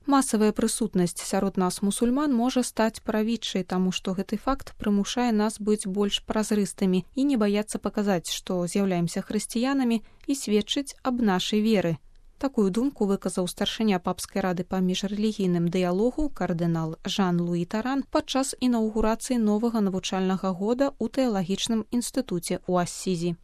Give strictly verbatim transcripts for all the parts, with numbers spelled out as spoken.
Масавая прысутнасць сярод нас мусульман можа стаць правідчай, таму што гэты факт прымушае нас быць больш празрыстымі і не баяцца паказаць, што з'яўляемся хрысціянамі і сведчыць аб нашай веры. Такую думку выказаў старшыня папскай рады па міжрэлігійным дыялогу кардынал Жан-Луі Таран падчас інаўгурацыі новага навучальнага года ў тэалагічным інстытуце ў Ассізі.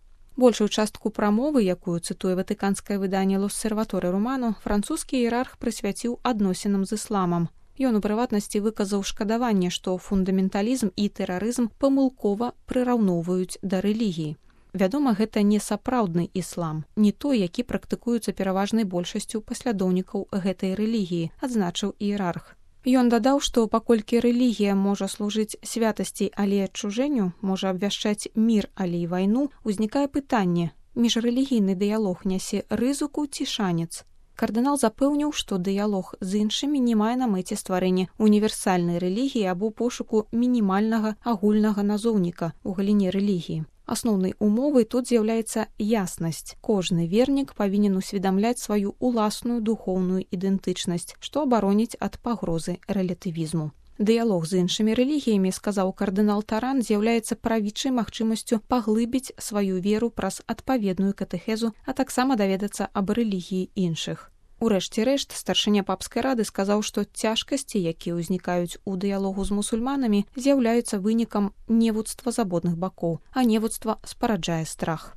Большую частку прамовы, якую цытуе ватыканскае выданне «L'Osservatore Romano», французскі іерарх прысвяціў адносінам з ісламам. Ён у прыватнасці выказаў шкадаванне, што фундаменталізм і тэрарызм памылкова прыраўноўваюць да рэлігіі. Вядома, гэта не сапраўдны іслам, не той, які практыкуецца пераважнай большасцю паслядоўнікаў гэтай рэлігіі, адзначыў іерарх. Ён дадаў, што паколькі рэлігія можа служыць святасці, але адчужэнню, можа абвяшчаць мір, але і вайну, узнікае пытанне: міжрэлігійны дыялог нясе рызыку ці шанец? Кардынал запэўніў, што дыялог з іншымі не мае на мэце стварэння універсальнай рэлігіі або пошуку мінімальнага агульнага назоўніка ў галіне рэлігіі. Асноўнай умовай тут з'яўляецца яснасць. Кожны вернік павінен усведамляць сваю уласную духоўную ідэнтычнасць, што абароніць ад пагрозы рэлятывізму. Дыялог з іншымі рэлігіямі, сказаў кардынал Таран, з'яўляецца правідчай магчымасцю паглыбіць сваю веру праз адпаведную катэхезу, а таксама даведацца аб рэлігіі іншых. Урэшце рэшт, старшыня папскай рады сказаў, што цяжкасці, якія ўзнікаюць у дыялогу з мусульманамі, з'яўляюцца вынікам невуцтва з абодных бакоў, а невуцтва спараджае страх.